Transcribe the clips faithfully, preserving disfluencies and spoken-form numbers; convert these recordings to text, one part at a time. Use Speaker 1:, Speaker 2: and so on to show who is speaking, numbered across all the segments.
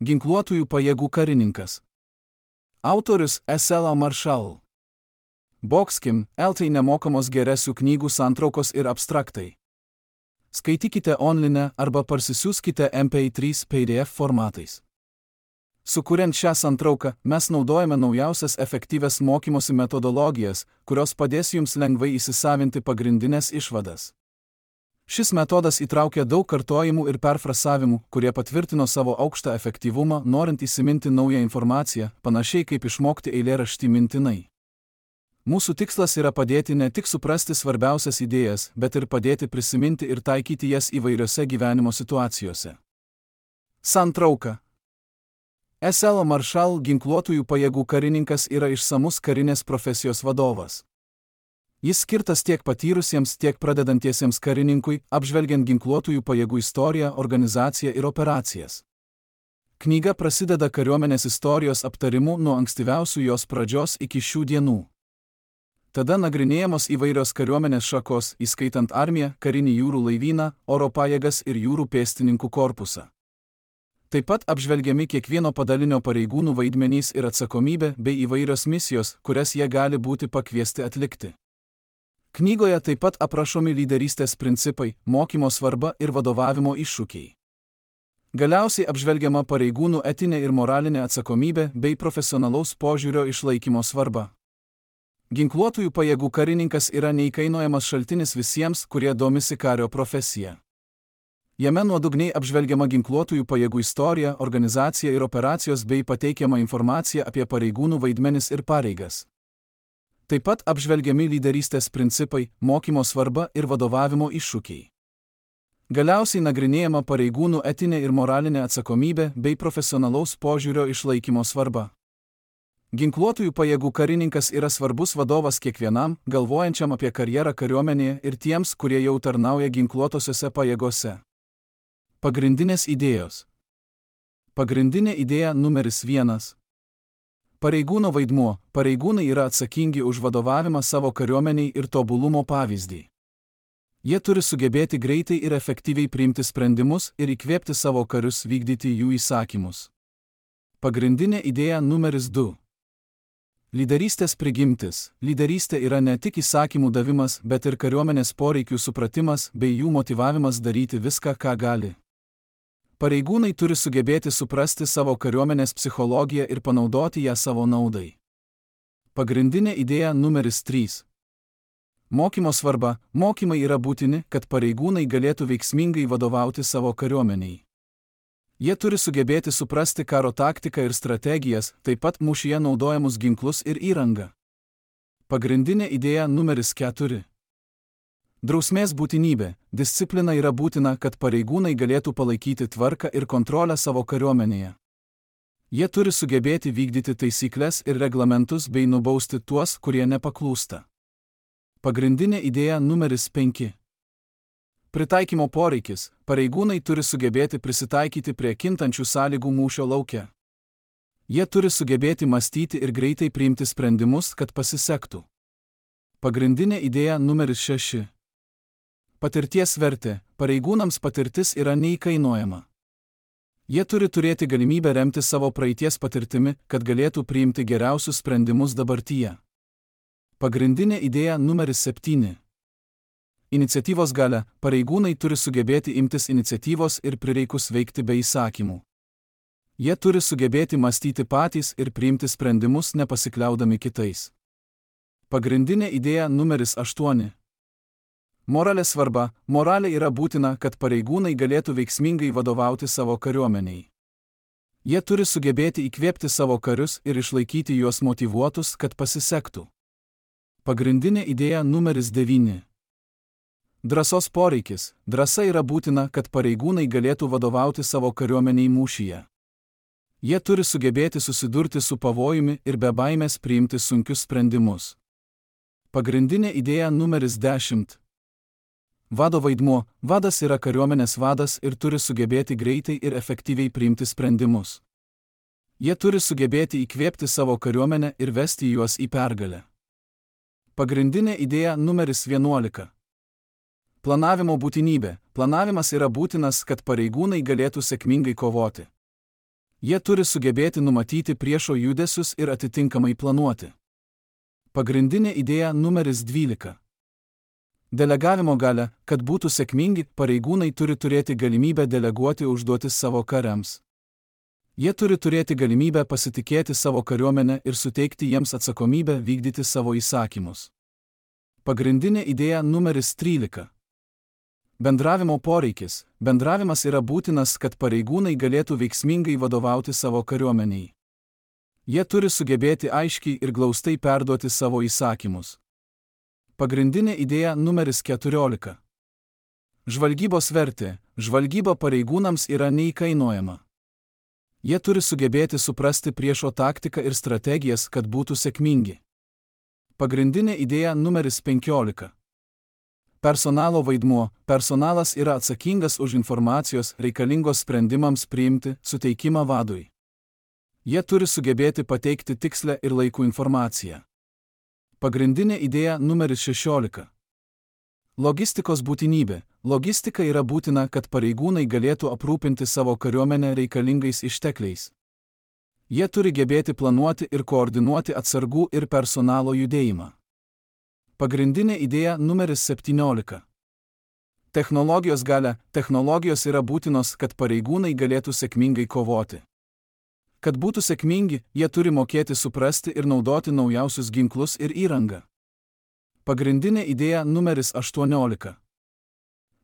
Speaker 1: Ginkluotųjų pajėgų karininkas. Autorius Esela Maršal. Boxkim, eltai nemokamos geresių knygų santraukos ir abstraktai. Skaitykite online arba parsisiųskite M P trys P D F formatais. Sukuriant šią santrauką, mes naudojame naujausias efektyvias mokymosi metodologijas, kurios padės jums lengvai įsisavinti pagrindinės išvadas. Šis metodas įtraukia daug kartojimų ir perfrasavimų, kurie patvirtino savo aukštą efektyvumą, norint įsiminti naują informaciją, panašiai kaip išmokti eilėraštį mintinai. Mūsų tikslas yra padėti ne tik suprasti svarbiausias idėjas, bet ir padėti prisiminti ir taikyti jas įvairiose gyvenimo situacijose. Santrauka. Esela Maršal ginkluotųjų pajėgų karininkas yra išsamus karinės profesijos vadovas. Jis skirtas tiek patyrusiems, tiek pradedantiesiems karininkui, apžvelgiant ginkluotųjų pajėgų istoriją, organizaciją ir operacijas. Knyga prasideda kariuomenės istorijos aptarimu nuo ankstyviausių jos pradžios iki šių dienų. Tada nagrinėjamos įvairios kariuomenės šakos, įskaitant armiją, karinį jūrų laivyną, oro pajėgas ir jūrų pėstininkų korpusą. Taip pat apžvelgiami kiekvieno padalinio pareigūnų vaidmenys ir atsakomybė bei įvairios misijos, kurias jie gali būti pakviesti atlikti. Knygoje taip pat aprašomi lyderystės principai, mokymo svarba ir vadovavimo iššūkiai. Galiausiai apžvelgiama pareigūnų etinė ir moralinė atsakomybė bei profesionalaus požiūrio išlaikymo svarba. Ginkluotųjų pajėgų karininkas yra neįkainojamas šaltinis visiems, kurie domisi kario profesija. Jame nuodugniai apžvelgiama ginkluotųjų pajėgų istorija, organizacija ir operacijos bei pateikiama informacija apie pareigūnų vaidmenis ir pareigas. Taip pat apžvelgiami lyderystės principai, mokymo svarba ir vadovavimo iššūkiai. Galiausiai nagrinėjama pareigūnų etinė ir moralinė atsakomybė bei profesionalaus požiūrio išlaikymo svarba. Ginkluotųjų pajėgų karininkas yra svarbus vadovas kiekvienam, galvojančiam apie karjerą kariuomenėje ir tiems, kurie jau tarnauja ginkluotosiose pajėgose. Pagrindinės idėjos. Pagrindinė idėja numeris vienas. Pareigūno vaidmuo. Pareigūnai yra atsakingi už vadovavimą savo kariuomeniai ir tobulumo pavyzdį. Jie turi sugebėti greitai ir efektyviai priimti sprendimus ir įkvėpti savo karius vykdyti jų įsakymus. Pagrindinė idėja numeris du. Lyderystės prigimtis. Lyderystė yra ne tik įsakymų davimas, bet ir kariuomenės poreikių supratimas bei jų motyvavimas daryti viską, ką gali. Pareigūnai turi sugebėti suprasti savo kariuomenės psichologiją ir panaudoti ją savo naudai. Pagrindinė idėja numeris trys. Mokymo svarba. Mokymai yra būtini, kad pareigūnai galėtų veiksmingai vadovauti savo kariuomeniai. Jie turi sugebėti suprasti karo taktiką ir strategijas, taip pat mūšyje naudojamus ginklus ir įrangą. Pagrindinė idėja numeris keturi. Drausmės būtinybė. Disciplina yra būtina, kad pareigūnai galėtų palaikyti tvarką ir kontrolę savo kariuomenėje. Jie turi sugebėti vykdyti taisyklės ir reglamentus bei nubausti tuos, kurie nepaklūsta. Pagrindinė idėja numeris penki. Pritaikymo poreikis. Pareigūnai turi sugebėti prisitaikyti prie kintančių sąlygų mūšio lauke. Jie turi sugebėti mąstyti ir greitai priimti sprendimus, kad pasisektų. Pagrindinė idėja numeris šeši. Patirties vertė. Pareigūnams patirtis yra neįkainojama. Jie turi turėti galimybę remti savo praeities patirtimi, kad galėtų priimti geriausius sprendimus dabartyje. Pagrindinė idėja numeris septyni. Iniciatyvos galia. Pareigūnai turi sugebėti imtis iniciatyvos ir prireikus veikti be įsakymų. Jie turi sugebėti mąstyti patys ir priimti sprendimus nepasikliaudami kitais. Pagrindinė idėja numeris aštuoni. Moralės svarba. Moralė yra būtina, kad pareigūnai galėtų veiksmingai vadovauti savo kariuomeniai. Jie turi sugebėti įkvėpti savo karius ir išlaikyti juos motyvuotus, kad pasisektų. Pagrindinė idėja numeris devyni. Drąsos poreikis. Drąsa yra būtina, kad pareigūnai galėtų vadovauti savo kariuomeniai mūšyje. Jie turi sugebėti susidurti su pavojumi ir be baimės priimti sunkius sprendimus. Pagrindinė idėja numeris dešimt. Vado vaidmuo. Vadas yra kariuomenės vadas ir turi sugebėti greitai ir efektyviai priimti sprendimus. Jie turi sugebėti įkvėpti savo kariuomenę ir vesti juos į pergalę. Pagrindinė idėja numeris vienuolika. Planavimo būtinybė. Planavimas yra būtinas, kad pareigūnai galėtų sėkmingai kovoti. Jie turi sugebėti numatyti priešo judesius ir atitinkamai planuoti. Pagrindinė idėja numeris dvylika. Delegavimo galia, kad būtų sėkmingi, pareigūnai turi turėti galimybę deleguoti užduotis savo kariams. Jie turi turėti galimybę pasitikėti savo kariuomenę ir suteikti jiems atsakomybę vykdyti savo įsakymus. Pagrindinė idėja numeris trylika. Bendravimo poreikis. Bendravimas yra būtinas, kad pareigūnai galėtų veiksmingai vadovauti savo kariuomeniai. Jie turi sugebėti aiškiai ir glaustai perduoti savo įsakymus. Pagrindinė idėja numeris keturiolika. Žvalgybos vertė. Žvalgyba pareigūnams yra neįkainojama. Jie turi sugebėti suprasti priešo taktiką ir strategijas, kad būtų sėkmingi. Pagrindinė idėja numeris penkiolika. Personalo vaidmuo. Personalas yra atsakingas už informacijos reikalingos sprendimams priimti suteikimą vadui. Jie turi sugebėti pateikti tikslę ir laikų informaciją. Pagrindinė idėja numeris šešiolika. Logistikos būtinybė. Logistika yra būtina, kad pareigūnai galėtų aprūpinti savo kariuomenę reikalingais ištekliais. Jie turi gebėti planuoti ir koordinuoti atsargų ir personalo judėjimą. Pagrindinė idėja numeris septyniolika. Technologijos galia. Technologijos yra būtinos, kad pareigūnai galėtų sėkmingai kovoti. Kad būtų sėkmingi, jie turi mokėti suprasti ir naudoti naujausius ginklus ir įrangą. Pagrindinė idėja numeris aštuoniolika.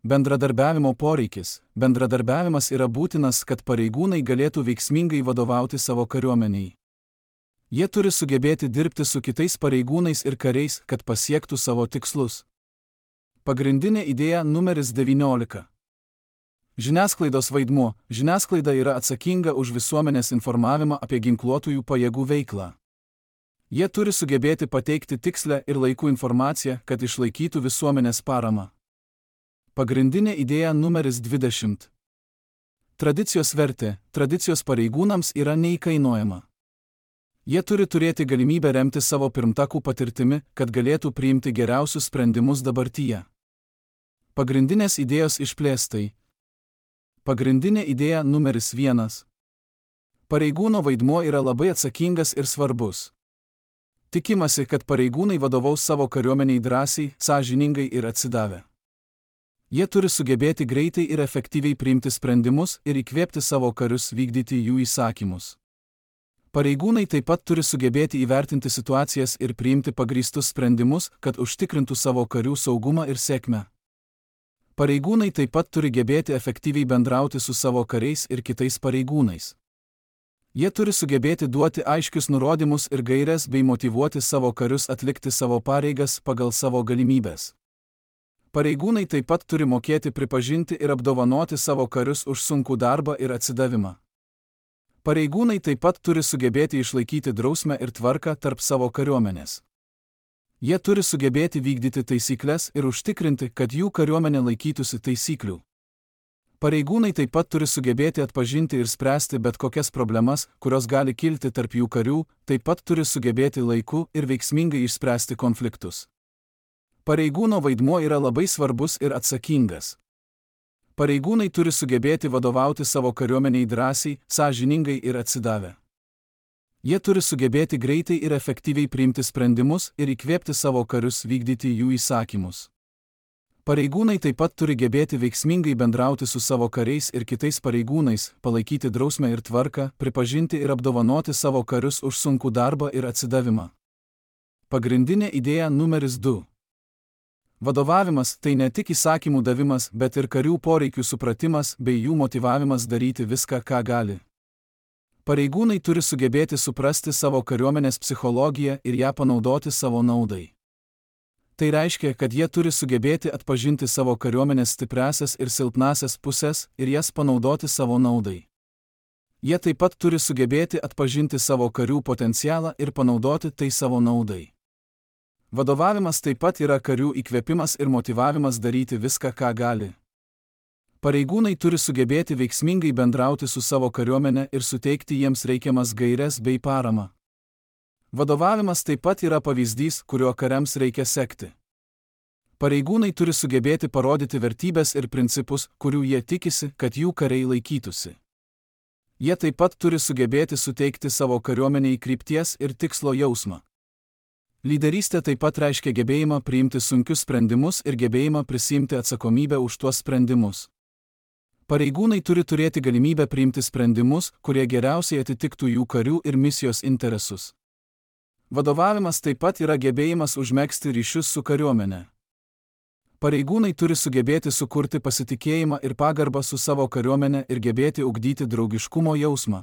Speaker 1: Bendradarbiavimo poreikis. Bendradarbiavimas yra būtinas, kad pareigūnai galėtų veiksmingai vadovauti savo kariuomeniai. Jie turi sugebėti dirbti su kitais pareigūnais ir kariais, kad pasiektų savo tikslus. Pagrindinė idėja numeris devyniolika. Žiniasklaidos vaidmuo. Žiniasklaida yra atsakinga už visuomenės informavimą apie ginkluotųjų pajėgų veiklą. Jie turi sugebėti pateikti tikslę ir laikų informaciją, kad išlaikytų visuomenės paramą. Pagrindinė idėja numeris dvidešimt. Tradicijos vertė. Tradicijos pareigūnams yra neįkainojama. Jie turi turėti galimybę remti savo pirmtakų patirtimi, kad galėtų priimti geriausius sprendimus dabartyje. Pagrindinės idėjos išplėstai. Pagrindinė idėja numeris vienas. Pareigūno vaidmuo yra labai atsakingas ir svarbus. Tikimasi, kad pareigūnai vadovaus savo kariuomeniai drąsiai, sąžiningai ir atsidavę. Jie turi sugebėti greitai ir efektyviai priimti sprendimus ir įkvėpti savo karius vykdyti jų įsakymus. Pareigūnai taip pat turi sugebėti įvertinti situacijas ir priimti pagrįstus sprendimus, kad užtikrintų savo karių saugumą ir sėkmę. Pareigūnai taip pat turi gebėti efektyviai bendrauti su savo kariais ir kitais pareigūnais. Jie turi sugebėti duoti aiškius nurodymus ir gaires bei motyvuoti savo karius atlikti savo pareigas pagal savo galimybes. Pareigūnai taip pat turi mokėti pripažinti ir apdovanoti savo karius už sunkų darbą ir atsidavimą. Pareigūnai taip pat turi sugebėti išlaikyti drausmę ir tvarką tarp savo kariuomenės. Jie turi sugebėti vykdyti taisyklės ir užtikrinti, kad jų kariuomenė laikytųsi taisyklių. Pareigūnai taip pat turi sugebėti atpažinti ir spręsti bet kokias problemas, kurios gali kilti tarp jų karių, taip pat turi sugebėti laiku ir veiksmingai išspręsti konfliktus. Pareigūno vaidmuo yra labai svarbus ir atsakingas. Pareigūnai turi sugebėti vadovauti savo kariuomeniai drąsiai, sąžiningai ir atsidavę. Jie turi sugebėti greitai ir efektyviai priimti sprendimus ir įkvėpti savo karius vykdyti jų įsakymus. Pareigūnai taip pat turi gebėti veiksmingai bendrauti su savo kariais ir kitais pareigūnais, palaikyti drausmę ir tvarką, pripažinti ir apdovanoti savo karius už sunkų darbą ir atsidavimą. Pagrindinė idėja numeris du. Vadovavimas tai ne tik įsakymų davimas, bet ir karių poreikių supratimas bei jų motyvavimas daryti viską, ką gali. Pareigūnai turi sugebėti suprasti savo kariuomenės psichologiją ir ją panaudoti savo naudai. Tai reiškia, kad jie turi sugebėti atpažinti savo kariuomenės stipriąsias ir silpnąsias pusės ir jas panaudoti savo naudai. Jie taip pat turi sugebėti atpažinti savo karių potencialą ir panaudoti tai savo naudai. Vadovavimas taip pat yra karių įkvėpimas ir motyvavimas daryti viską, ką gali. Pareigūnai turi sugebėti veiksmingai bendrauti su savo kariuomenė ir suteikti jiems reikiamas gaires bei paramą. Vadovavimas taip pat yra pavyzdys, kuriuo kariams reikia sekti. Pareigūnai turi sugebėti parodyti vertybes ir principus, kurių jie tikisi, kad jų kariai laikytųsi. Jie taip pat turi sugebėti suteikti savo kariuomeniai krypties ir tikslo jausmą. Lyderystė taip pat reiškia gebėjimą priimti sunkius sprendimus ir gebėjimą prisiimti atsakomybę už tuos sprendimus. Pareigūnai turi turėti galimybę priimti sprendimus, kurie geriausiai atitiktų jų karių ir misijos interesus. Vadovavimas taip pat yra gebėjimas užmegzti ryšius su kariuomene. Pareigūnai turi sugebėti sukurti pasitikėjimą ir pagarbą su savo kariuomene ir gebėti ugdyti draugiškumo jausmą.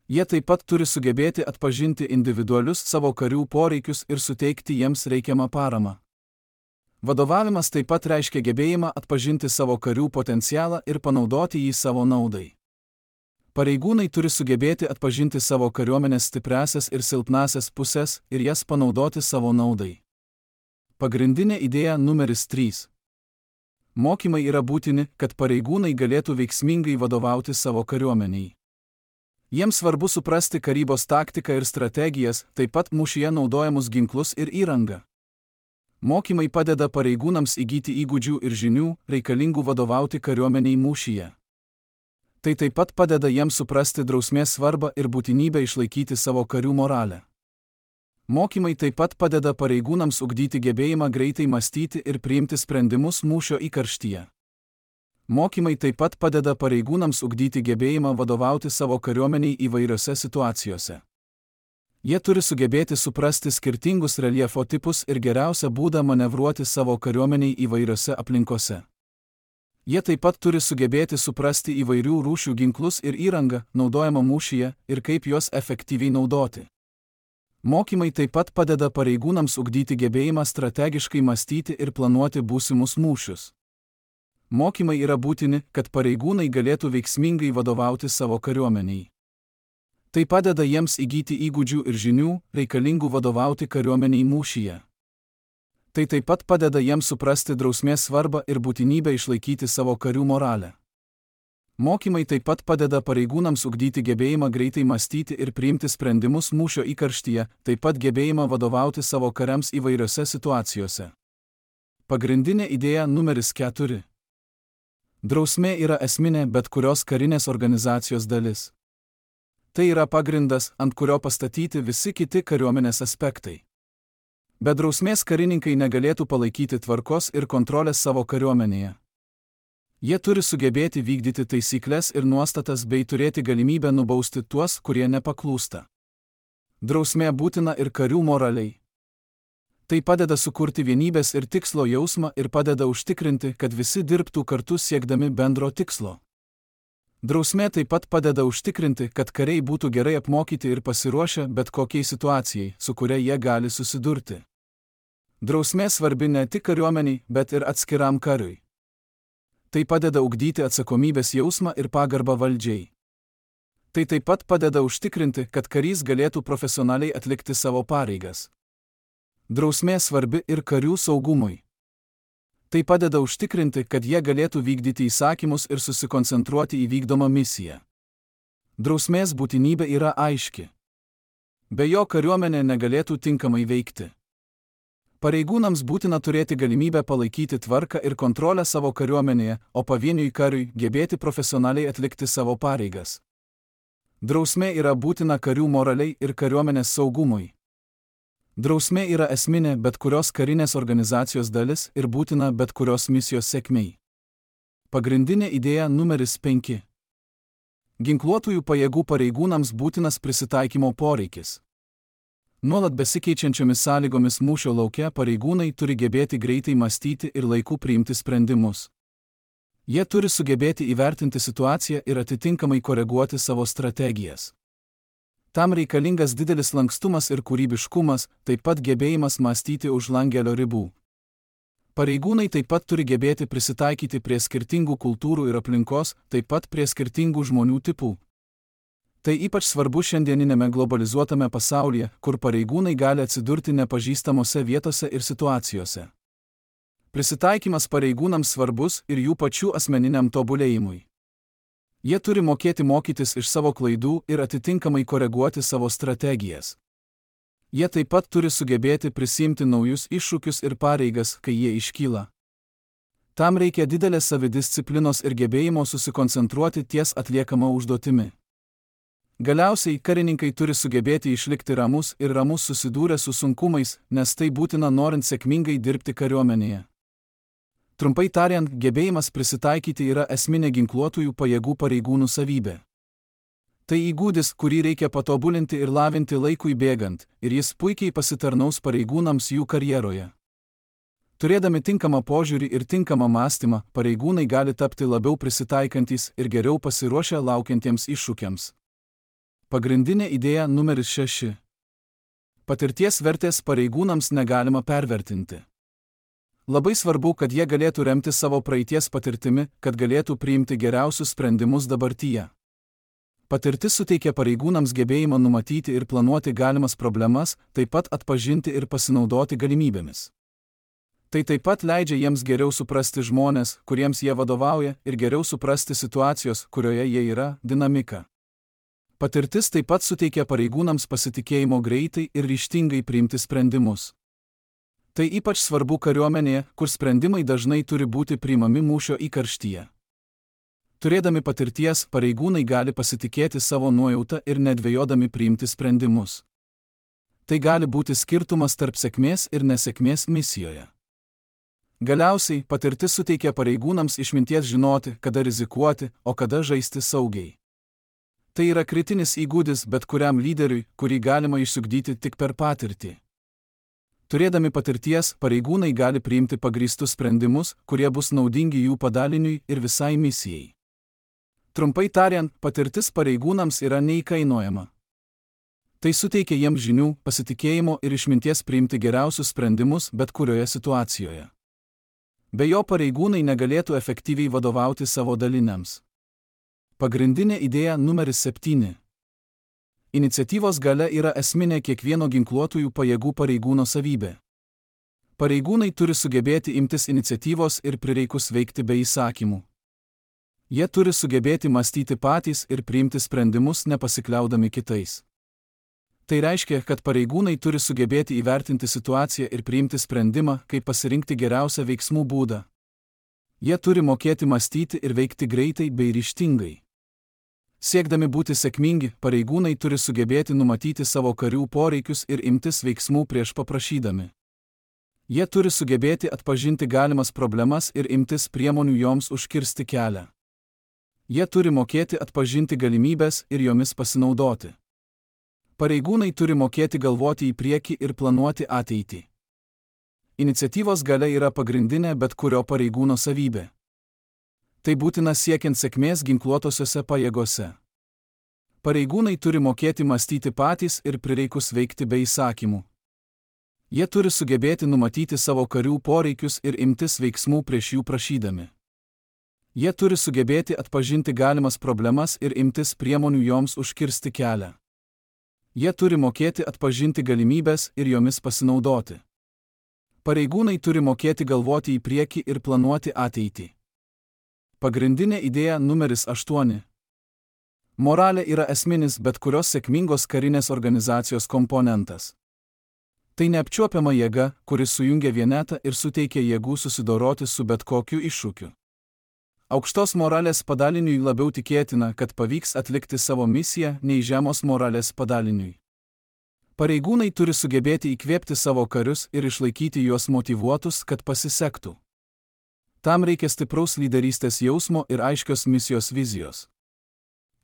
Speaker 1: Jie taip pat turi sugebėti atpažinti individualius savo karių poreikius ir suteikti jiems reikiamą paramą. Vadovavimas taip pat reiškia gebėjimą atpažinti savo karių potencialą ir panaudoti jį savo naudai. Pareigūnai turi sugebėti atpažinti savo kariuomenės stipriąsias ir silpnąsias pusės ir jas panaudoti savo naudai. Pagrindinė idėja numeris trys. Mokymai yra būtini, kad pareigūnai galėtų veiksmingai vadovauti savo kariuomeniai. Jiems svarbu suprasti karybos taktiką ir strategijas, taip pat mūšyje naudojamus ginklus ir įrangą. Mokymai padeda pareigūnams įgyti įgūdžių ir žinių, reikalingų vadovauti kariuomeniai mūšyje. Tai taip pat padeda jiems suprasti drausmės svarbą ir būtinybę išlaikyti savo karių moralę. Mokymai taip pat padeda pareigūnams ugdyti gebėjimą greitai mąstyti ir priimti sprendimus mūšio įkarštyje. Mokymai taip pat padeda pareigūnams ugdyti gebėjimą vadovauti savo kariuomeniai įvairiose situacijose. Jie turi sugebėti suprasti skirtingus reljefo tipus ir geriausią būdą manevruoti savo kariuomeniai įvairiose aplinkose. Jie taip pat turi sugebėti suprasti įvairių rūšių ginklus ir įrangą, naudojamą mūšyje, ir kaip juos efektyviai naudoti. Mokymai taip pat padeda pareigūnams ugdyti gebėjimą strategiškai mąstyti ir planuoti būsimus mūšius. Mokymai yra būtini, kad pareigūnai galėtų veiksmingai vadovauti savo kariuomeniai. Tai padeda jiems įgyti įgūdžių ir žinių, reikalingų vadovauti kariuomeniai mūšyje. Tai taip pat padeda jiems suprasti drausmės svarbą ir būtinybę išlaikyti savo karių moralę. Mokymai taip pat padeda pareigūnams ugdyti gebėjimą greitai mąstyti ir priimti sprendimus mūšio įkarštyje, taip pat gebėjimą vadovauti savo kariams įvairiose situacijose. Pagrindinė idėja numeris keturi. Drausmė yra esminė bet kurios karinės organizacijos dalis. Tai yra pagrindas, ant kurio pastatyti visi kiti kariuomenės aspektai. Be drausmės karininkai negalėtų palaikyti tvarkos ir kontrolės savo kariuomenėje. Jie turi sugebėti vykdyti taisyklės ir nuostatas bei turėti galimybę nubausti tuos, kurie nepaklūsta. Drausmė būtina ir karių moraliai. Tai padeda sukurti vienybės ir tikslo jausmą ir padeda užtikrinti, kad visi dirbtų kartu siekdami bendro tikslo. Drausmė taip pat padeda užtikrinti, kad kariai būtų gerai apmokyti ir pasiruošę bet kokiai situacijai, su kuria jie gali susidurti. Drausmė svarbi ne tik kariuomeniai, bet ir atskiram kariui. Tai padeda ugdyti atsakomybės jausmą ir pagarbą valdžiai. Tai taip pat padeda užtikrinti, kad karys galėtų profesionaliai atlikti savo pareigas. Drausmė svarbi ir karių saugumui. Tai padeda užtikrinti, kad jie galėtų vykdyti įsakymus ir susikoncentruoti į vykdomą misiją. Drausmės būtinybė yra aiški. Be jo kariuomenė negalėtų tinkamai veikti. Pareigūnams būtina turėti galimybę palaikyti tvarką ir kontrolę savo kariuomenėje, o pavieniui kariui gebėti profesionaliai atlikti savo pareigas. Drausmė yra būtina karių moraliai ir kariuomenės saugumui. Drausmė yra esminė bet kurios karinės organizacijos dalis ir būtina bet kurios misijos sėkmei. Pagrindinė idėja numeris penki. Ginkluotųjų pajėgų pareigūnams būtinas prisitaikymo poreikis. Nuolat besikeičiančiomis sąlygomis mūšio lauke pareigūnai turi gebėti greitai mąstyti ir laiku priimti sprendimus. Jie turi sugebėti įvertinti situaciją ir atitinkamai koreguoti savo strategijas. Tam reikalingas didelis lankstumas ir kūrybiškumas, taip pat gebėjimas mąstyti už langelio ribų. Pareigūnai taip pat turi gebėti prisitaikyti prie skirtingų kultūrų ir aplinkos, taip pat prie skirtingų žmonių tipų. Tai ypač svarbu šiandieninėme globalizuotame pasaulyje, kur pareigūnai gali atsidurti nepažįstamose vietose ir situacijose. Prisitaikymas pareigūnams svarbus ir jų pačių asmeniniam tobulėjimui. Jie turi mokėti mokytis iš savo klaidų ir atitinkamai koreguoti savo strategijas. Jie taip pat turi sugebėti prisiimti naujus iššūkius ir pareigas, kai jie iškyla. Tam reikia didelės savidisciplinos ir gebėjimo susikoncentruoti ties atliekama užduotimi. Galiausiai karininkai turi sugebėti išlikti ramus ir ramus susidūrę su sunkumais, nes tai būtina norint sėkmingai dirbti kariuomenėje. Trumpai tariant, gebėjimas prisitaikyti yra esminė ginkluotųjų pajėgų pareigūnų savybė. Tai įgūdis, kurį reikia patobulinti ir lavinti laikui bėgant, ir jis puikiai pasitarnaus pareigūnams jų karjeroje. Turėdami tinkamą požiūrį ir tinkamą mąstymą, pareigūnai gali tapti labiau prisitaikantis ir geriau pasiruošę laukiantiems iššūkiams. Pagrindinė idėja numeris šeši. Patirties vertės pareigūnams negalima pervertinti. Labai svarbu, kad jie galėtų remti savo praeities patirtimi, kad galėtų priimti geriausius sprendimus dabartyje. Patirtis suteikia pareigūnams gebėjimą numatyti ir planuoti galimas problemas, taip pat atpažinti ir pasinaudoti galimybėmis. Tai taip pat leidžia jiems geriau suprasti žmones, kuriems jie vadovauja, ir geriau suprasti situacijos, kurioje jie yra, dinamiką. Patirtis taip pat suteikia pareigūnams pasitikėjimo greitai ir ryžtingai priimti sprendimus. Tai ypač svarbu kariuomenėje, kur sprendimai dažnai turi būti priimami mūšio įkarštyje. Turėdami patirties, pareigūnai gali pasitikėti savo nuojautą ir nedvejodami priimti sprendimus. Tai gali būti skirtumas tarp sėkmės ir nesėkmės misijoje. Galiausiai, patirtis suteikia pareigūnams išminties žinoti, kada rizikuoti, o kada žaisti saugiai. Tai yra kritinis įgūdis bet kuriam lyderiui, kurį galima išsiugdyti tik per patirtį. Turėdami patirties, pareigūnai gali priimti pagrįstus sprendimus, kurie bus naudingi jų padaliniui ir visai misijai. Trumpai tariant, patirtis pareigūnams yra neįkainojama. Tai suteikia jiems žinių, pasitikėjimo ir išminties priimti geriausius sprendimus bet kurioje situacijoje. Be jo pareigūnai negalėtų efektyviai vadovauti savo daliniams. Pagrindinė idėja numeris septyni. Iniciatyvos galia yra esminė kiekvieno ginkluotųjų pajėgų pareigūno savybė. Pareigūnai turi sugebėti imtis iniciatyvos ir prireikus veikti be įsakymų. Jie turi sugebėti mąstyti patys ir priimti sprendimus nepasikliaudami kitais. Tai reiškia, kad pareigūnai turi sugebėti įvertinti situaciją ir priimti sprendimą, kaip pasirinkti geriausią veiksmų būdą. Jie turi mokėti mąstyti ir veikti greitai bei ryžtingai. Siekdami būti sėkmingi, pareigūnai turi sugebėti numatyti savo karių poreikius ir imtis veiksmų prieš paprašydami. Jie turi sugebėti atpažinti galimas problemas ir imtis priemonių joms užkirsti kelią. Jie turi mokėti atpažinti galimybės ir jomis pasinaudoti. Pareigūnai turi mokėti galvoti į priekį ir planuoti ateitį. Iniciatyvos galia yra pagrindinė bet kurio pareigūno savybė. Tai būtina siekiant sėkmės ginkluotosiose pajėgose. Pareigūnai turi mokėti mąstyti patys ir prireikus veikti be įsakymų. Jie turi sugebėti numatyti savo karių poreikius ir imtis veiksmų prieš jų prašydami. Jie turi sugebėti atpažinti galimas problemas ir imtis priemonių joms užkirsti kelią. Jie turi mokėti atpažinti galimybės ir jomis pasinaudoti. Pareigūnai turi mokėti galvoti į priekį ir planuoti ateitį. Pagrindinė idėja numeris aštuoni. Moralė yra esminis bet kurios sėkmingos karinės organizacijos komponentas. Tai neapčiuopiama jėga, kuris sujungia vienetą ir suteikia jėgų susidoroti su bet kokiu iššūkiu. Aukštos moralės padaliniui labiau tikėtina, kad pavyks atlikti savo misiją, nei žemos moralės padaliniui. Pareigūnai turi sugebėti įkvėpti savo karius ir išlaikyti juos motyvuotus, kad pasisektų. Tam reikia stipraus lyderystės jausmo ir aiškios misijos vizijos.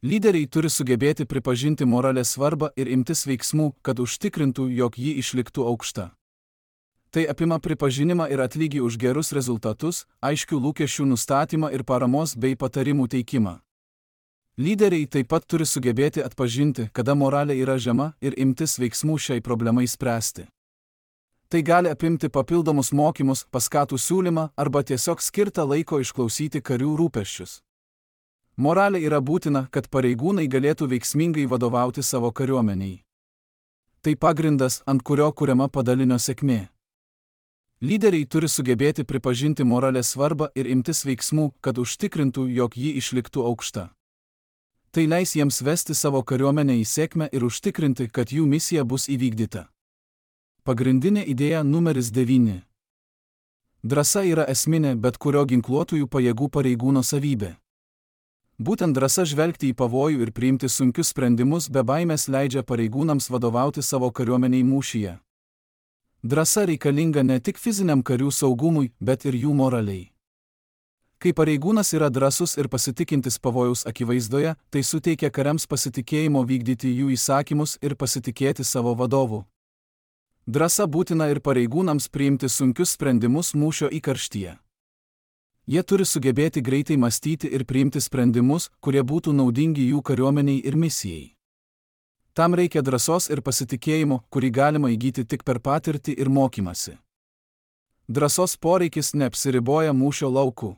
Speaker 1: Lyderiai turi sugebėti pripažinti moralės svarbą ir imtis veiksmų, kad užtikrintų, jog ji išliktų aukšta. Tai apima pripažinimą ir atlygį už gerus rezultatus, aiškių lūkesčių nustatymą ir paramos bei patarimų teikimą. Lyderiai taip pat turi sugebėti atpažinti, kada moralė yra žema ir imtis veiksmų šiai problemai spręsti. Tai gali apimti papildomus mokymus, paskatų siūlymą arba tiesiog skirtą laiko išklausyti karių rūpesčius. Moralė yra būtina, kad pareigūnai galėtų veiksmingai vadovauti savo kariuomeniai. Tai pagrindas, ant kurio kuriama padalinio sėkmė. Lyderiai turi sugebėti pripažinti moralės svarbą ir imtis veiksmų, kad užtikrintų, jog ji išliktų aukšta. Tai leis jiems vesti savo kariuomenę į sėkmę ir užtikrinti, kad jų misija bus įvykdyta. Pagrindinė idėja numeris devyni. Drąsa yra esminė bet kurio ginkluotųjų pajėgų pareigūno savybė. Būtent drąsa žvelgti į pavojų ir priimti sunkius sprendimus be baimės leidžia pareigūnams vadovauti savo kariuomeniai mūšyje. Drąsa reikalinga ne tik fiziniam karių saugumui, bet ir jų moraliai. Kai pareigūnas yra drąsus ir pasitikintis pavojaus akivaizdoje, tai suteikia kariams pasitikėjimo vykdyti jų įsakymus ir pasitikėti savo vadovu. Drąsa būtina ir pareigūnams priimti sunkius sprendimus mūšio įkarštyje. Jie turi sugebėti greitai mąstyti ir priimti sprendimus, kurie būtų naudingi jų kariuomeniai ir misijai. Tam reikia drąsos ir pasitikėjimo, kurį galima įgyti tik per patirtį ir mokymasi. Drąsos poreikis neapsiriboja mūšio lauku.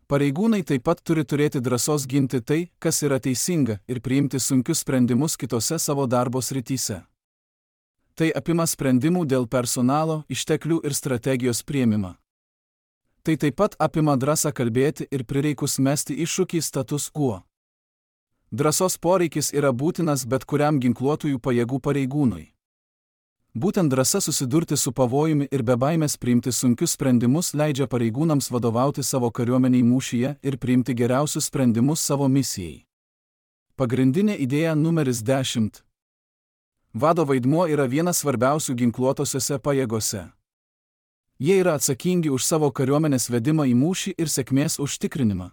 Speaker 1: Pareigūnai taip pat turi turėti drąsos ginti tai, kas yra teisinga, ir priimti sunkius sprendimus kitose savo darbo srityse. Tai apima sprendimų dėl personalo, išteklių ir strategijos priėmimą. Tai taip pat apima drąsą kalbėti ir prireikus mesti iššūkį status quo. Drąsos poreikis yra būtinas bet kuriam ginkluotųjų pajėgų pareigūnui. Būtent drąsa susidurti su pavojumi ir be baimės priimti sunkius sprendimus leidžia pareigūnams vadovauti savo kariuomeniai mūšyje ir priimti geriausius sprendimus savo misijai. Pagrindinė idėja numeris dešimt. Vado vaidmuo yra vienas svarbiausių ginkluotosiose pajėgose. Jie yra atsakingi už savo kariuomenės vedimą į mūšį ir sėkmės užtikrinimą.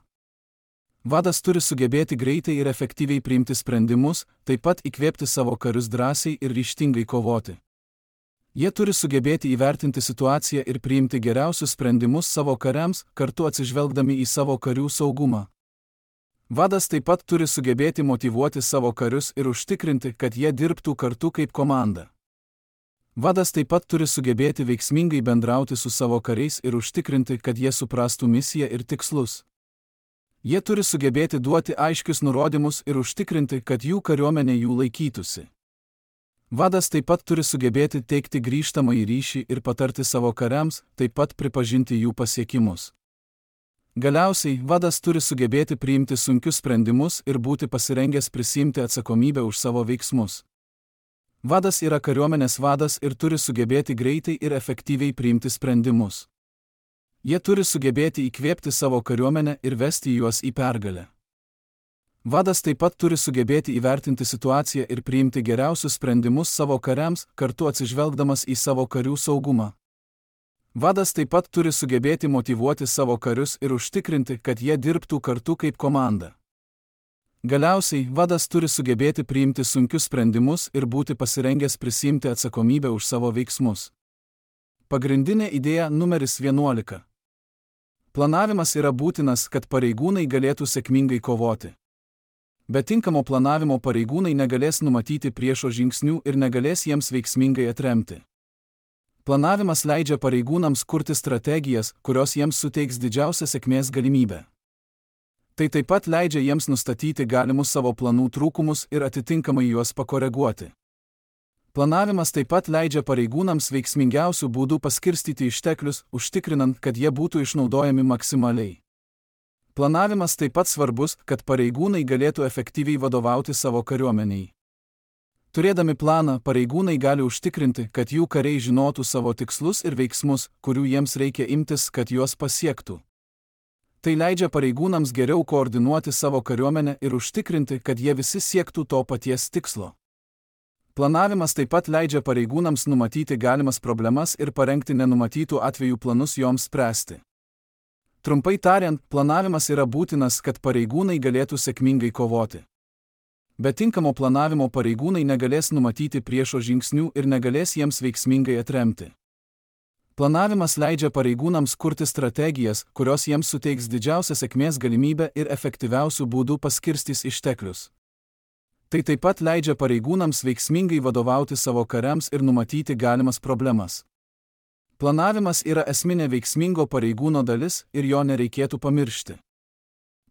Speaker 1: Vadas turi sugebėti greitai ir efektyviai priimti sprendimus, taip pat įkvėpti savo karius drąsiai ir ryžtingai kovoti. Jie turi sugebėti įvertinti situaciją ir priimti geriausius sprendimus savo kariams, kartu atsižvelgdami į savo karių saugumą. Vadas taip pat turi sugebėti motyvuoti savo karius ir užtikrinti, kad jie dirbtų kartu kaip komanda. Vadas taip pat turi sugebėti veiksmingai bendrauti su savo kariais ir užtikrinti, kad jie suprastų misiją ir tikslus. Jie turi sugebėti duoti aiškius nurodymus ir užtikrinti, kad jų kariuomenė jų laikytųsi. Vadas taip pat turi sugebėti teikti grįžtamąjį ryšį ir patarti savo kariams, taip pat pripažinti jų pasiekimus. Galiausiai, vadas turi sugebėti priimti sunkius sprendimus ir būti pasirengęs prisiimti atsakomybę už savo veiksmus. Vadas yra kariuomenės vadas ir turi sugebėti greitai ir efektyviai priimti sprendimus. Jie turi sugebėti įkvėpti savo kariuomenę ir vesti juos į pergalę. Vadas taip pat turi sugebėti įvertinti situaciją ir priimti geriausius sprendimus savo kariams, kartu atsižvelgdamas į savo karių saugumą. Vadas taip pat turi sugebėti motyvuoti savo karius ir užtikrinti, kad jie dirbtų kartu kaip komanda. Galiausiai, vadas turi sugebėti priimti sunkius sprendimus ir būti pasirengęs prisiimti atsakomybę už savo veiksmus. Pagrindinė idėja numeris vienuolika. Planavimas yra būtinas, kad pareigūnai galėtų sėkmingai kovoti. Be tinkamo planavimo pareigūnai negalės numatyti priešo žingsnių ir negalės jiems veiksmingai atremti. Planavimas leidžia pareigūnams kurti strategijas, kurios jiems suteiks didžiausią sėkmės galimybę. Tai taip pat leidžia jiems nustatyti galimus savo planų trūkumus ir atitinkamai juos pakoreguoti. Planavimas taip pat leidžia pareigūnams veiksmingiausių būdų paskirstyti išteklius, užtikrinant, kad jie būtų išnaudojami maksimaliai. Planavimas taip pat svarbus, kad pareigūnai galėtų efektyviai vadovauti savo kariuomeniai. Turėdami planą, pareigūnai gali užtikrinti, kad jų kariai žinotų savo tikslus ir veiksmus, kurių jiems reikia imtis, kad juos pasiektų. Tai leidžia pareigūnams geriau koordinuoti savo kariuomenę ir užtikrinti, kad jie visi siektų to paties tikslo. Planavimas taip pat leidžia pareigūnams numatyti galimas problemas ir parengti nenumatytų atvejų planus joms spręsti. Trumpai tariant, planavimas yra būtinas, kad pareigūnai galėtų sėkmingai kovoti. Be tinkamo planavimo pareigūnai negalės numatyti priešo žingsnių ir negalės jiems veiksmingai atremti. Planavimas leidžia pareigūnams kurti strategijas, kurios jiems suteiks didžiausią sėkmės galimybę ir efektyviausių būdų paskirstys išteklius. Tai taip pat leidžia pareigūnams veiksmingai vadovauti savo kariams ir numatyti galimas problemas. Planavimas yra esminė veiksmingo pareigūno dalis ir jo nereikėtų pamiršti.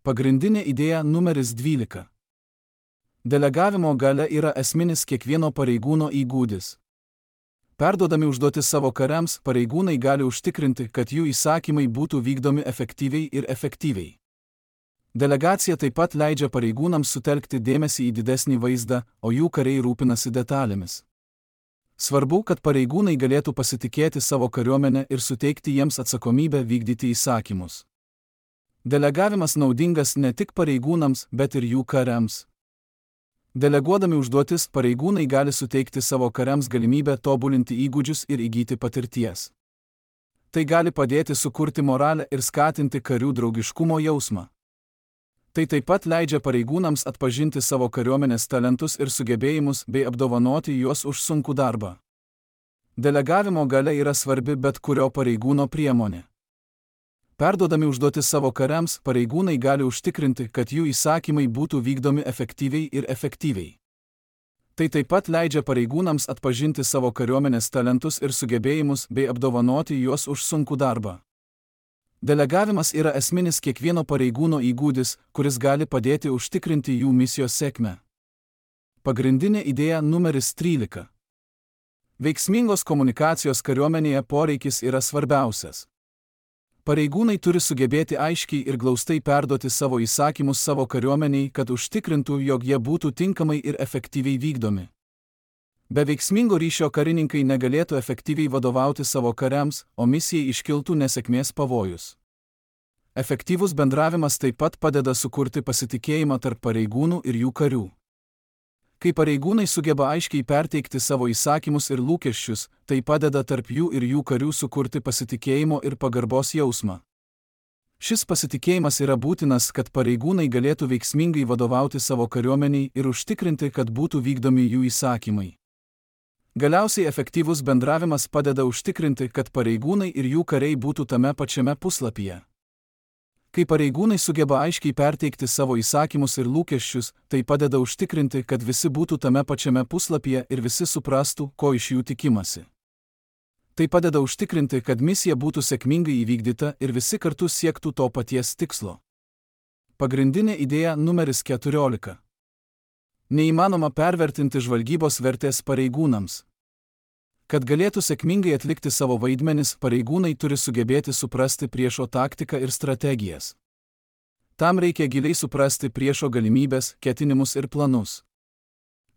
Speaker 1: Pagrindinė idėja numeris dvylika. Delegavimo galia yra esminis kiekvieno pareigūno įgūdis. Perduodami užduotis savo kariams, pareigūnai gali užtikrinti, kad jų įsakymai būtų vykdomi efektyviai ir efektyviai. Delegacija taip pat leidžia pareigūnams sutelkti dėmesį į didesnį vaizdą, o jų kariai rūpinasi detalėmis. Svarbu, kad pareigūnai galėtų pasitikėti savo kariuomenę ir suteikti jiems atsakomybę vykdyti įsakymus. Delegavimas naudingas ne tik pareigūnams, bet ir jų kariams. Deleguodami užduotis, pareigūnai gali suteikti savo kariams galimybę tobulinti įgūdžius ir įgyti patirties. Tai gali padėti sukurti moralę ir skatinti karių draugiškumo jausmą. Tai taip pat leidžia pareigūnams atpažinti savo kariuomenės talentus ir sugebėjimus bei apdovanoti juos už sunkų darbą. Delegavimo galia yra svarbi bet kurio pareigūno priemonė. Perduodami užduotis savo kariams, pareigūnai gali užtikrinti, kad jų įsakymai būtų vykdomi efektyviai ir efektyviai. Tai taip pat leidžia pareigūnams atpažinti savo kariuomenės talentus ir sugebėjimus bei apdovanoti juos už sunkų darbą. Delegavimas yra esminis kiekvieno pareigūno įgūdis, kuris gali padėti užtikrinti jų misijos sėkmę. Pagrindinė idėja numeris trylika. Veiksmingos komunikacijos kariuomenėje poreikis yra svarbiausias. Pareigūnai turi sugebėti aiškiai ir glaustai perduoti savo įsakymus savo kariuomeniai, kad užtikrintų, jog jie būtų tinkamai ir efektyviai vykdomi. Be veiksmingo ryšio karininkai negalėtų efektyviai vadovauti savo kariams, o misijai iškiltų nesėkmės pavojus. Efektyvus bendravimas taip pat padeda sukurti pasitikėjimą tarp pareigūnų ir jų karių. Kai pareigūnai sugeba aiškiai perteikti savo įsakymus ir lūkesčius, tai padeda tarp jų ir jų karių sukurti pasitikėjimo ir pagarbos jausmą. Šis pasitikėjimas yra būtinas, kad pareigūnai galėtų veiksmingai vadovauti savo kariuomeniai ir užtikrinti, kad būtų vykdomi jų įsakymai. Galiausiai efektyvus bendravimas padeda užtikrinti, kad pareigūnai ir jų kariai būtų tame pačiame puslapyje. Kai pareigūnai sugeba aiškiai perteikti savo įsakymus ir lūkesčius, tai padeda užtikrinti, kad visi būtų tame pačiame puslapyje ir visi suprastų, ko iš jų tikimasi. Tai padeda užtikrinti, kad misija būtų sėkmingai įvykdyta ir visi kartu siektų to paties tikslo. Pagrindinė idėja numeris keturiolika. Neįmanoma pervertinti žvalgybos vertės pareigūnams. Kad galėtų sėkmingai atlikti savo vaidmenis, pareigūnai turi sugebėti suprasti priešo taktiką ir strategijas. Tam reikia giliai suprasti priešo galimybės, ketinimus ir planus.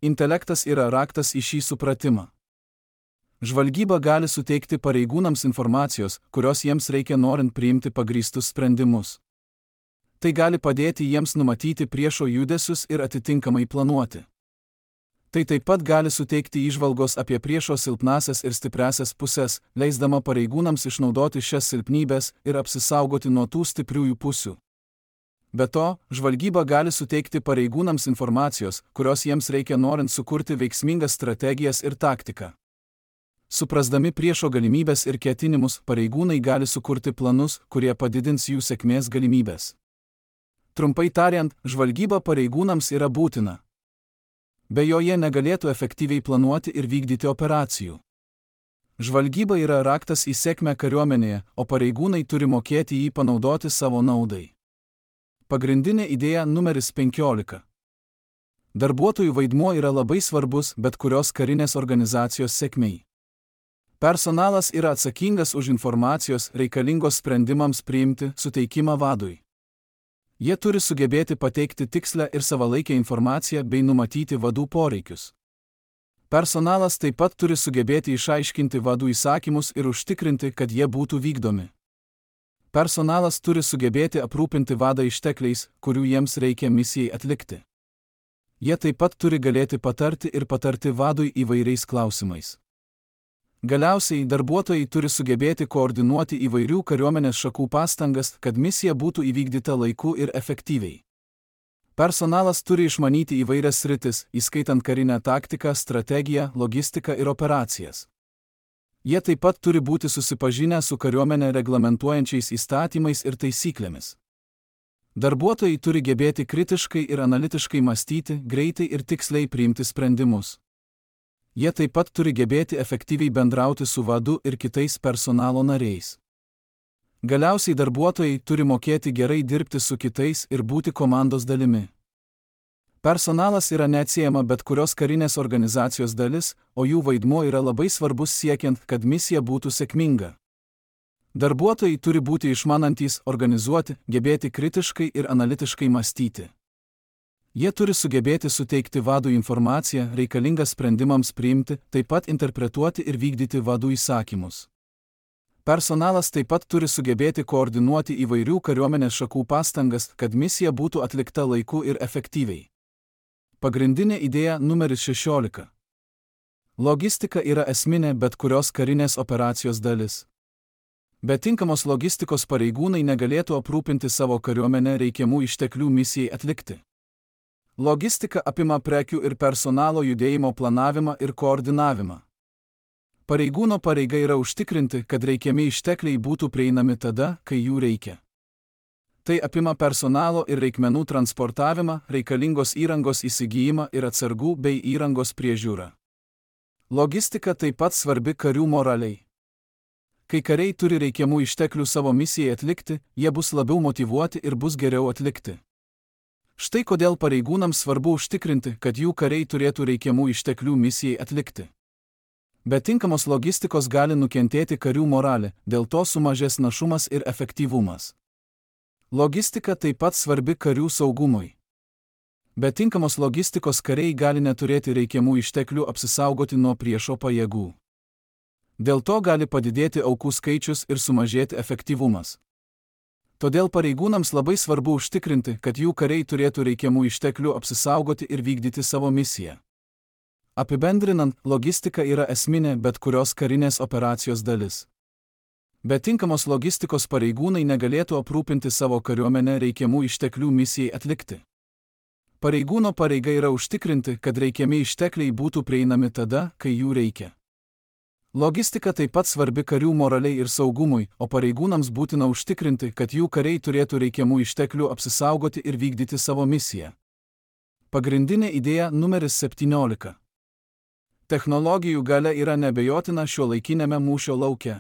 Speaker 1: Intelektas yra raktas į šį supratimą. Žvalgyba gali suteikti pareigūnams informacijos, kurios jiems reikia norint priimti pagrįstus sprendimus. Tai gali padėti jiems numatyti priešo judesius ir atitinkamai planuoti. Tai taip pat gali suteikti įžvalgos apie priešo silpnasias ir stipriasias pusės, leisdama pareigūnams išnaudoti šias silpnybės ir apsisaugoti nuo tų stipriųjų pusių. Be to, žvalgyba gali suteikti pareigūnams informacijos, kurios jiems reikia norint sukurti veiksmingas strategijas ir taktiką. Suprasdami priešo galimybės ir ketinimus, pareigūnai gali sukurti planus, kurie padidins jų sėkmės galimybės. Trumpai tariant, žvalgyba pareigūnams yra būtina. Be jo jie negalėtų efektyviai planuoti ir vykdyti operacijų. Žvalgyba yra raktas į sėkmę kariuomenėje, o pareigūnai turi mokėti jį panaudoti savo naudai. Pagrindinė idėja numeris penkiolika. Darbuotojų vaidmuo yra labai svarbus bet kurios karinės organizacijos sėkmei. Personalas yra atsakingas už informacijos reikalingos sprendimams priimti suteikimą vadui. Jie turi sugebėti pateikti tikslę ir savalaikę informaciją bei numatyti vadų poreikius. Personalas taip pat turi sugebėti išaiškinti vadų įsakymus ir užtikrinti, kad jie būtų vykdomi. Personalas turi sugebėti aprūpinti vadą ištekliais, kurių jiems reikia misijai atlikti. Jie taip pat turi galėti patarti ir patarti vadui įvairiais klausimais. Galiausiai, darbuotojai turi sugebėti koordinuoti įvairių kariuomenės šakų pastangas, kad misija būtų įvykdyta laiku ir efektyviai. Personalas turi išmanyti įvairias sritis, įskaitant karinę taktiką, strategiją, logistiką ir operacijas. Jie taip pat turi būti susipažinę su kariuomenę reglamentuojančiais įstatymais ir taisyklėmis. Darbuotojai turi gebėti kritiškai ir analitiškai mąstyti, greitai ir tiksliai priimti sprendimus. Jie taip pat turi gebėti efektyviai bendrauti su vadu ir kitais personalo nariais. Galiausiai darbuotojai turi mokėti gerai dirbti su kitais ir būti komandos dalimi. Personalas yra neatsiejama bet kurios karinės organizacijos dalis, o jų vaidmuo yra labai svarbus siekiant, kad misija būtų sėkminga. Darbuotojai turi būti išmanantys, organizuoti, gebėti kritiškai ir analitiškai mąstyti. Jie turi sugebėti suteikti vadui informaciją reikalingą sprendimams priimti, taip pat interpretuoti ir vykdyti vadų įsakymus. Personalas taip pat turi sugebėti koordinuoti įvairių kariuomenės šakų pastangas, kad misija būtų atlikta laiku ir efektyviai. Pagrindinė idėja numeris šešiolika. Logistika yra esminė bet kurios karinės operacijos dalis. Be tinkamos logistikos pareigūnai negalėtų aprūpinti savo kariuomenę reikiamų išteklių misijai atlikti. Logistika apima prekių ir personalo judėjimo planavimą ir koordinavimą. Pareigūno pareiga yra užtikrinti, kad reikiami ištekliai būtų prieinami tada, kai jų reikia. Tai apima personalo ir reikmenų transportavimą, reikalingos įrangos įsigijimą ir atsargų bei įrangos priežiūrą. Logistika taip pat svarbi karių moraliai. Kai kariai turi reikiamų išteklių savo misijai atlikti, jie bus labiau motyvuoti ir bus geriau atlikti. Štai kodėl pareigūnams svarbu užtikrinti, kad jų kariai turėtų reikiamų išteklių misijai atlikti. Be tinkamos logistikos gali nukentėti karių moralė, dėl to sumažės našumas ir efektyvumas. Logistika taip pat svarbi karių saugumui. Be tinkamos logistikos kariai gali neturėti reikiamų išteklių apsisaugoti nuo priešo pajėgų. Dėl to gali padidėti aukų skaičius ir sumažėti efektyvumas. Todėl pareigūnams labai svarbu užtikrinti, kad jų kariai turėtų reikiamų išteklių apsisaugoti ir vykdyti savo misiją. Apibendrinant, logistika yra esminė bet kurios karinės operacijos dalis. Be tinkamos logistikos pareigūnai negalėtų aprūpinti savo kariuomenę reikiamų išteklių misijai atlikti. Pareigūno pareiga yra užtikrinti, kad reikiami ištekliai būtų prieinami tada, kai jų reikia. Logistika taip pat svarbi karių moraliai ir saugumui, o pareigūnams būtina užtikrinti, kad jų kariai turėtų reikiamų išteklių apsisaugoti ir vykdyti savo misiją. Pagrindinė idėja numeris septyniolika. Technologijų galia yra neabejotina šiuolaikinėme mūšio lauke.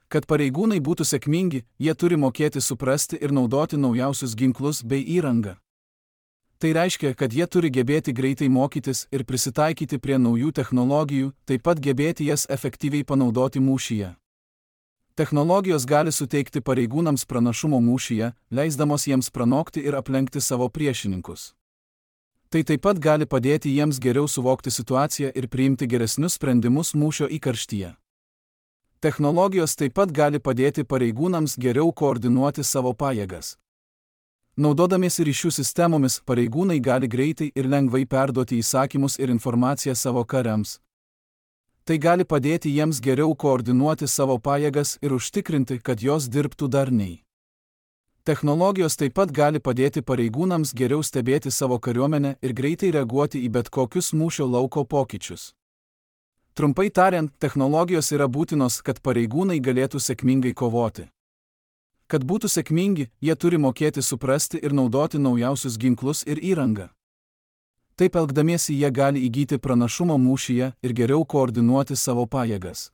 Speaker 1: Kad pareigūnai būtų sėkmingi, jie turi mokėti suprasti ir naudoti naujausius ginklus bei įrangą. Tai reiškia, kad jie turi gebėti greitai mokytis ir prisitaikyti prie naujų technologijų, taip pat gebėti jas efektyviai panaudoti mūšyje. Technologijos gali suteikti pareigūnams pranašumo mūšyje, leisdamos jiems pranokti ir aplenkti savo priešininkus. Tai taip pat gali padėti jiems geriau suvokti situaciją ir priimti geresnius sprendimus mūšio įkarštyje. Technologijos taip pat gali padėti pareigūnams geriau koordinuoti savo pajėgas. Naudodamiesi ryšių sistemomis, pareigūnai gali greitai ir lengvai perduoti įsakymus ir informaciją savo kariams. Tai gali padėti jiems geriau koordinuoti savo pajėgas ir užtikrinti, kad jos dirbtų darniai. Technologijos taip pat gali padėti pareigūnams geriau stebėti savo kariuomenę ir greitai reaguoti į bet kokius mūšio lauko pokyčius. Trumpai tariant, technologijos yra būtinos, kad pareigūnai galėtų sėkmingai kovoti. Kad būtų sėkmingi, jie turi mokėti suprasti ir naudoti naujausius ginklus ir įrangą. Taip elgdamiesi jie gali įgyti pranašumo mūšyje ir geriau koordinuoti savo pajėgas.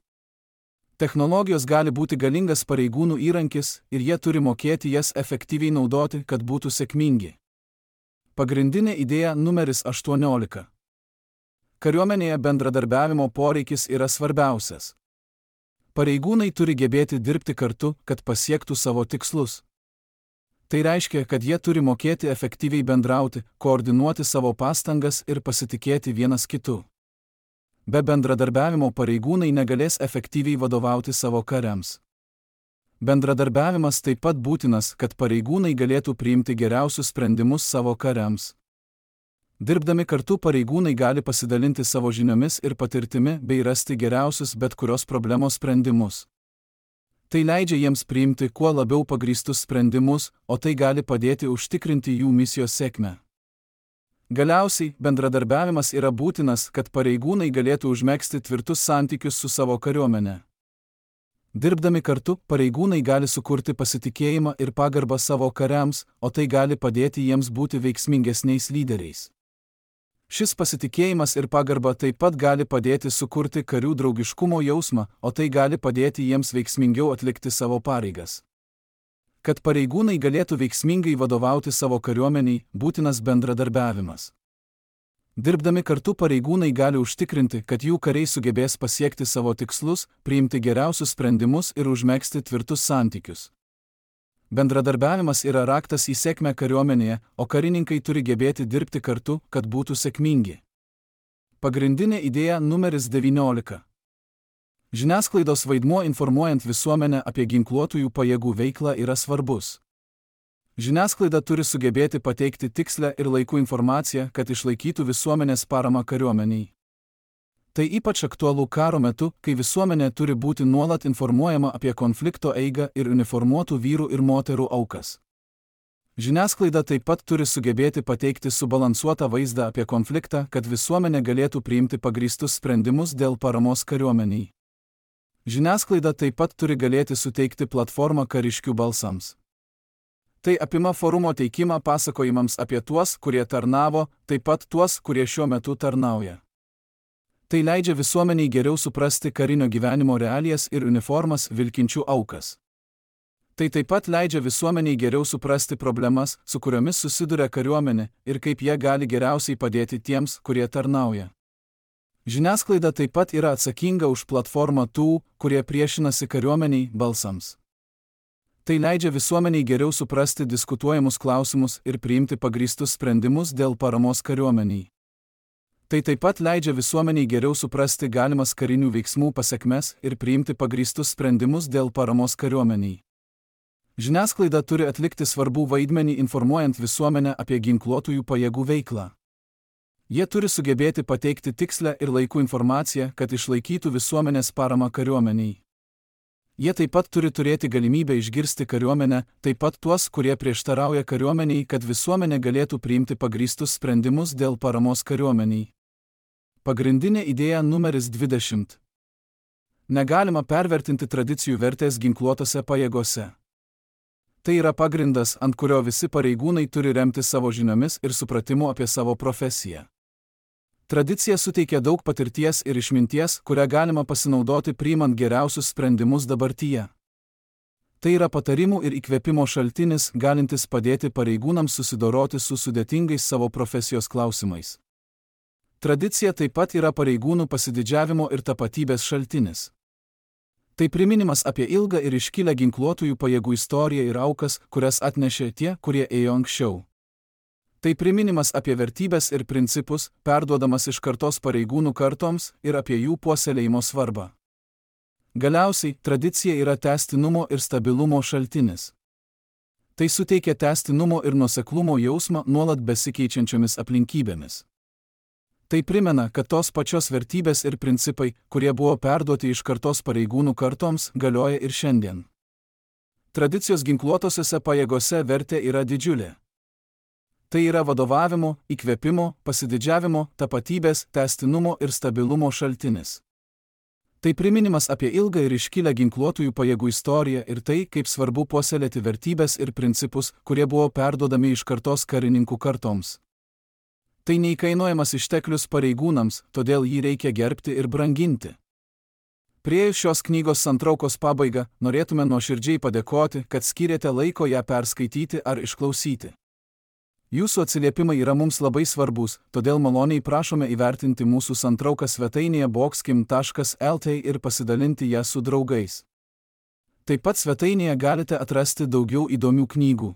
Speaker 1: Technologijos gali būti galingas pareigūnų įrankis ir jie turi mokėti jas efektyviai naudoti, kad būtų sėkmingi. Pagrindinė idėja numeris aštuoniolika. Kariuomenėje bendradarbiavimo poreikis yra svarbiausias. Pareigūnai turi gebėti dirbti kartu, kad pasiektų savo tikslus. Tai reiškia, kad jie turi mokėti efektyviai bendrauti, koordinuoti savo pastangas ir pasitikėti vienas kitu. Be bendradarbiavimo pareigūnai negalės efektyviai vadovauti savo kariams. Bendradarbiavimas taip pat būtinas, kad pareigūnai galėtų priimti geriausius sprendimus savo kariams. Dirbdami kartu pareigūnai gali pasidalinti savo žiniomis ir patirtimi bei rasti geriausius bet kurios problemos sprendimus. Tai leidžia jiems priimti kuo labiau pagrįstus sprendimus, o tai gali padėti užtikrinti jų misijos sėkmę. Galiausiai, bendradarbiavimas yra būtinas, kad pareigūnai galėtų užmegzti tvirtus santykius su savo kariuomene. Dirbdami kartu, pareigūnai gali sukurti pasitikėjimą ir pagarbą savo kariams, o tai gali padėti jiems būti veiksmingesniais lyderiais. Šis pasitikėjimas ir pagarba taip pat gali padėti sukurti karių draugiškumo jausmą, o tai gali padėti jiems veiksmingiau atlikti savo pareigas. Kad pareigūnai galėtų veiksmingai vadovauti savo kariuomeniai, būtinas bendradarbiavimas. Dirbdami kartu pareigūnai gali užtikrinti, kad jų kariai sugebės pasiekti savo tikslus, priimti geriausius sprendimus ir užmegzti tvirtus santykius. Bendradarbiavimas yra raktas į sėkmę kariuomenėje, o karininkai turi gebėti dirbti kartu, kad būtų sėkmingi. Pagrindinė idėja numeris devyniolika. Žiniasklaidos vaidmuo informuojant visuomenę apie ginkluotųjų pajėgų veiklą yra svarbus. Žiniasklaida turi sugebėti pateikti tikslę ir laiku informaciją, kad išlaikytų visuomenės paramą kariuomeniai. Tai ypač aktualu karo metu, kai visuomenė turi būti nuolat informuojama apie konflikto eigą ir uniformuotų vyrų ir moterų aukas. Žiniasklaida taip pat turi sugebėti pateikti subalansuotą vaizdą apie konfliktą, kad visuomenė galėtų priimti pagrįstus sprendimus dėl paramos kariuomeniai. Žiniasklaida taip pat turi galėti suteikti platformą kariškių balsams. Tai apima forumo teikimą pasakojimams apie tuos, kurie tarnavo, taip pat tuos, kurie šiuo metu tarnauja. Tai leidžia visuomeniai geriau suprasti karinio gyvenimo realijas ir uniformas vilkinčių aukas. Tai taip pat leidžia visuomeniai geriau suprasti problemas, su kuriomis susiduria kariuomenė ir kaip jie gali geriausiai padėti tiems, kurie tarnauja. Žiniasklaida taip pat yra atsakinga už platformą tų, kurie priešinasi kariuomeniai, balsams. Tai leidžia visuomeniai geriau suprasti diskutuojamus klausimus ir priimti pagrįstus sprendimus dėl paramos kariuomeniai. Tai taip pat leidžia visuomeniai geriau suprasti galimas karinių veiksmų pasekmes ir priimti pagrįstus sprendimus dėl paramos kariuomeniai. Žiniasklaida turi atlikti svarbų vaidmenį informuojant visuomenę apie ginkluotųjų pajėgų veiklą. Jie turi sugebėti pateikti tikslę ir laiku informaciją, kad išlaikytų visuomenės paramą kariuomeniai. Jie taip pat turi turėti galimybę išgirsti kariuomenę, taip pat tuos, kurie prieštarauja kariuomeniai, kad visuomenė galėtų priimti pagrįstus sprendimus dėl paramos kariuomeniai. Pagrindinė idėja numeris dvidešimt. Negalima pervertinti tradicijų vertės ginkluotose pajėgose. Tai yra pagrindas, ant kurio visi pareigūnai turi remti savo žiniomis ir supratimu apie savo profesiją. Tradicija suteikia daug patirties ir išminties, kurią galima pasinaudoti priimant geriausius sprendimus dabartyje. Tai yra patarimų ir įkvėpimo šaltinis, galintis padėti pareigūnams susidoroti su sudėtingais savo profesijos klausimais. Tradicija taip pat yra pareigūnų pasididžiavimo ir tapatybės šaltinis. Tai priminimas apie ilgą ir iškilę ginkluotųjų pajėgų istoriją ir aukas, kurias atnešė tie, kurie ėjo anksčiau. Tai priminimas apie vertybės ir principus, perduodamas iš kartos pareigūnų kartoms ir apie jų puoselėjimo svarbą. Galiausiai, tradicija yra tęstinumo ir stabilumo šaltinis. Tai suteikia tęstinumo ir nuoseklumo jausmą nuolat besikeičiančiomis aplinkybėmis. Tai primena, kad tos pačios vertybės ir principai, kurie buvo perduoti iš kartos pareigūnų kartoms, galioja ir šiandien. Tradicijos ginkluotosiose pajėgose vertė yra didžiulė. Tai yra vadovavimo, įkvėpimo, pasididžiavimo, tapatybės, tęstinumo ir stabilumo šaltinis. Tai priminimas apie ilgą ir iškilę ginkluotųjų pajėgų istoriją ir tai, kaip svarbu puoselėti vertybės ir principus, kurie buvo perduodami iš kartos karininkų kartoms. Tai neįkainojamas išteklius pareigūnams, todėl jį reikia gerbti ir branginti. Priėjus šios knygos santraukos pabaigą, norėtume nuoširdžiai padėkoti, kad skyrėte laiko ją perskaityti ar išklausyti. Jūsų atsiliepimai yra mums labai svarbus, todėl maloniai prašome įvertinti mūsų santrauką svetainėje boxkim taškas lt ir pasidalinti ją su draugais. Taip pat svetainėje galite atrasti daugiau įdomių knygų.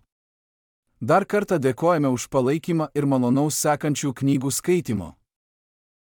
Speaker 1: Dar kartą dėkojame už palaikymą ir malonaus sekančių knygų skaitimo.